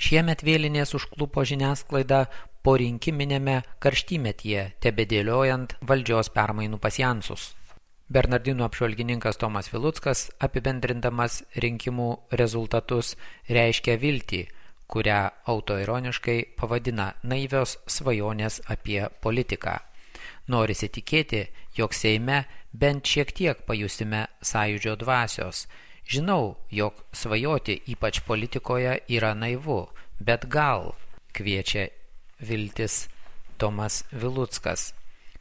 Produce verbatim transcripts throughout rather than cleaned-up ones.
Šiemet vėlinės užklupo žiniasklaidą po rinkiminėme karštymetyje, tebedėliojant valdžios permainų pasjansus. Bernardinų apžvalgininkas Tomas Viluckas, apibendrindamas rinkimų rezultatus, reiškia viltį, kurią autoironiškai pavadina naivios svajonės apie politiką. Norisi tikėti, jog Seime bent šiek tiek pajusime sąjūdžio dvasios. Žinau, jog svajoti ypač politikoje yra naivu, bet gal, kviečia viltis Tomas Viluckas.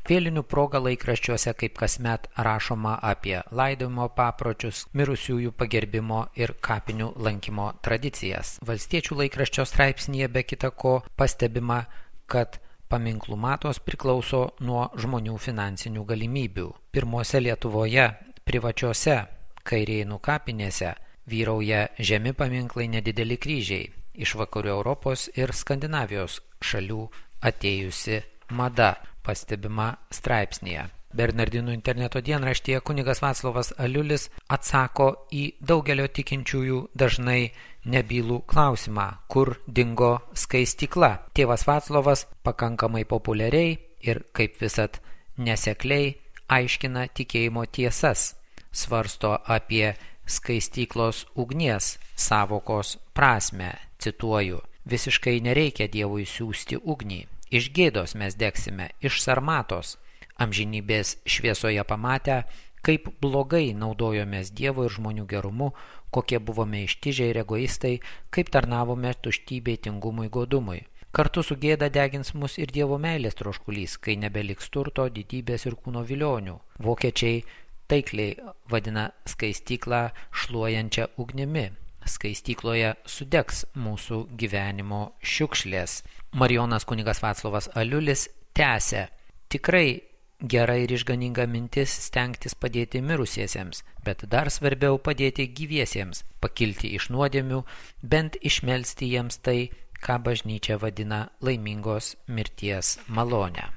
Vėlinių proga laikraščiuose kaip kasmet rašoma apie laidojimo papročius, mirusiųjų pagerbimo ir kapinių lankymo tradicijas. Valstiečių laikraščio straipsnyje be kita ko pastebima, kad paminklų matos priklauso nuo žmonių finansinių galimybių. Pirmose Lietuvoje privačiose Kairėnų kapinėse vyrauja žemi paminklai nedideli kryžiai, iš vakarų Europos ir Skandinavijos šalių atėjusi mada, pastebima straipsnėje. Bernardinų interneto dienraštyje kunigas Vaclovas Aliulis atsako į daugelio tikinčiųjų dažnai nebylų klausimą, kur dingo skaistykla. Tėvas Vaclovas pakankamai populiariai ir kaip visad nesekliai aiškina tikėjimo tiesas, svarsto apie skaistyklos ugnies sąvokos prasmę, cituoju, visiškai nereikia Dievui siųsti ugnį. Iš gėdos mes degsime, iš sarmatos, amžinybės šviesoje pamatę, kaip blogai naudojomės Dievo ir žmonių gerumu, kokie buvome ištižę ir egoistai, kaip tarnavome tuštybei, tingumui, godumui. Kartu su gėda degins mus ir Dievo meilės troškulys, kai nebeliks turto, didybės ir kūno vilionių. Vokiečiai taikliai vadina skaistyklą šluojančią ugnimi. Skaistykloje sudegs mūsų gyvenimo šiukšlės. Marijonas kunigas Vaclovas Aliulis tęsia: tikrai gera ir išganinga mintis stengtis padėti mirusiesiems, bet dar svarbiau padėti gyviesiems, pakilti iš nuodėmių, bent išmelsti jiems tai, ką bažnyčia vadina laimingos mirties malonę.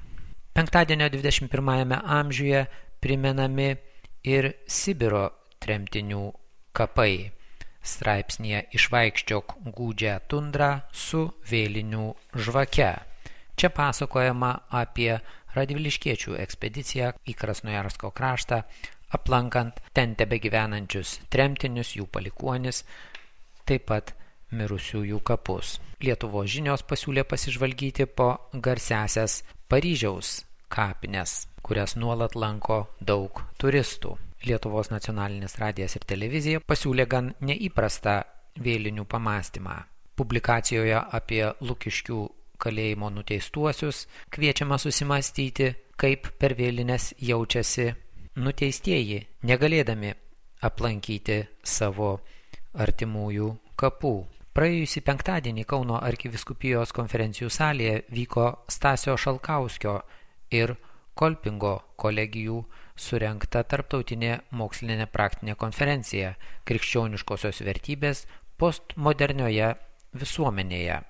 Penktadienio dvidešimt pirmajame amžiuje primenami ir Sibiro tremtinių kapai. Straipsnėje Išvaikščiok gūdžią tundrą su vėlinių žvake. Čia pasakojama apie radviliškiečių ekspediciją į Krasnojarsko kraštą, aplankant ten tebegyvenančius tremtinius, jų palikuonis, taip pat mirusiųjų kapus. Lietuvos žinios pasiūlė pasižvalgyti po garsiąsias Paryžiaus kapines, kurias nuolat lanko daug turistų. Lietuvos nacionalinis radijas ir televizija pasiūlė gan neįprastą vėlinių pamąstymą. Publikacijoje apie Lukiškių kalėjimo nuteistuosius kviečiama susimastyti, kaip per vėlines jaučiasi nuteistieji, negalėdami aplankyti savo artimųjų kapų. Praėjusį penktadienį Kauno arkivyskupijos konferencijų salėje vyko Stasio Šalkauskio ir Kolpingo kolegijų surengta tarptautinė mokslinė praktinė konferencija Krikščioniškosios vertybės postmodernioje visuomenėje.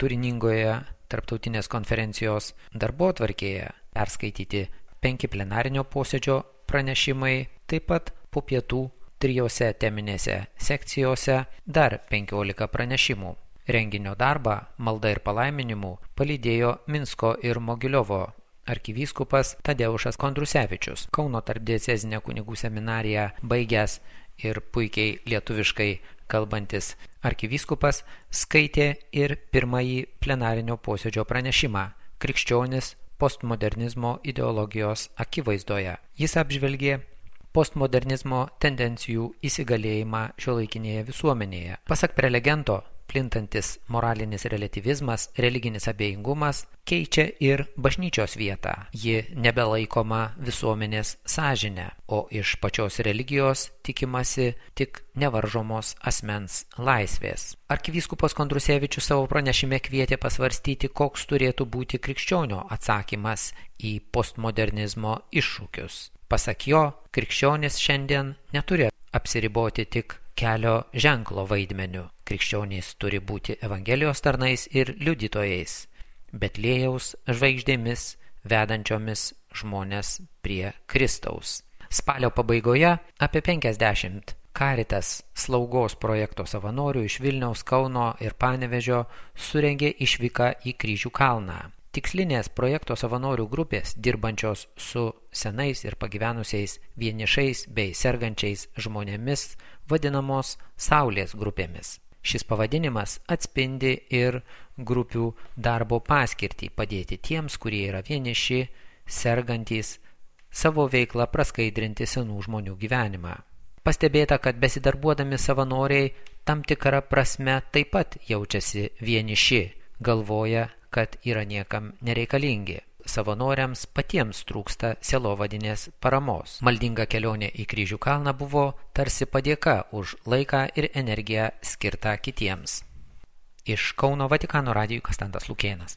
Turiningoje tarptautinės konferencijos darbotvarkėje perskaityti penki plenarinio posėdžio pranešimai, taip pat po pietų trijose teminėse sekcijose dar penkiolika pranešimų. Renginio darbą, malda ir palaiminimu palydėjo Minsko ir Mogiliovo arkivyskupas Tadeušas Kondrusevičius. Kauno tarpdiecezinę kunigų seminariją baigęs ir puikiai lietuviškai kalbantis arkivyskupas skaitė ir pirmąjį plenarinio posėdžio pranešimą Krikščionis postmodernizmo ideologijos akivaizdoje. Jis apžvelgė postmodernizmo tendencijų įsigalėjimą šiuolaikinėje visuomenėje. Pasak prelegento, plintantis moralinis relativizmas, religinis abejingumas keičia ir bažnyčios vietą. Ji nebelaikoma visuomenės sąžine, o iš pačios religijos tikimasi tik nevaržomos asmens laisvės. Arkivyskupas Kondrusevičius savo pranešime kvietė pasvarstyti, koks turėtų būti krikščionio atsakymas į postmodernizmo iššūkius. Pasak jo, krikščionis šiandien neturi apsiriboti tik kelio ženklo vaidmeniu. Krikščionys turi būti Evangelijos tarnais ir liudytojais, Betliejaus žvaigždėmis vedančiomis žmonės prie Kristaus. Spalio pabaigoje apie penkiasdešimt Caritas slaugos projekto savanorių iš Vilniaus, Kauno ir Panevėžio surengė išvyką į Kryžių kalną. Tikslinės projekto savanorių grupės, dirbančios su senais ir pagyvenusiais vienišais bei sergančiais žmonėmis, vadinamos Saulės grupėmis. Šis pavadinimas atspindi ir grupių darbo paskirtį padėti tiems, kurie yra vieniši, sergantys, savo veiklą praskaidrinti senų žmonių gyvenimą. Pastebėta, kad besidarbuodami savanoriai tam tikrą prasme taip pat jaučiasi vieniši, galvoja, kad yra niekam nereikalingi. Savanoriams patiems trūksta sielovadinės paramos. Maldinga kelionė į Kryžių kalną buvo tarsi padėka už laiką ir energiją skirtą kitiems. Iš Kauno Vatikano radijui Konstantas Lukėnas.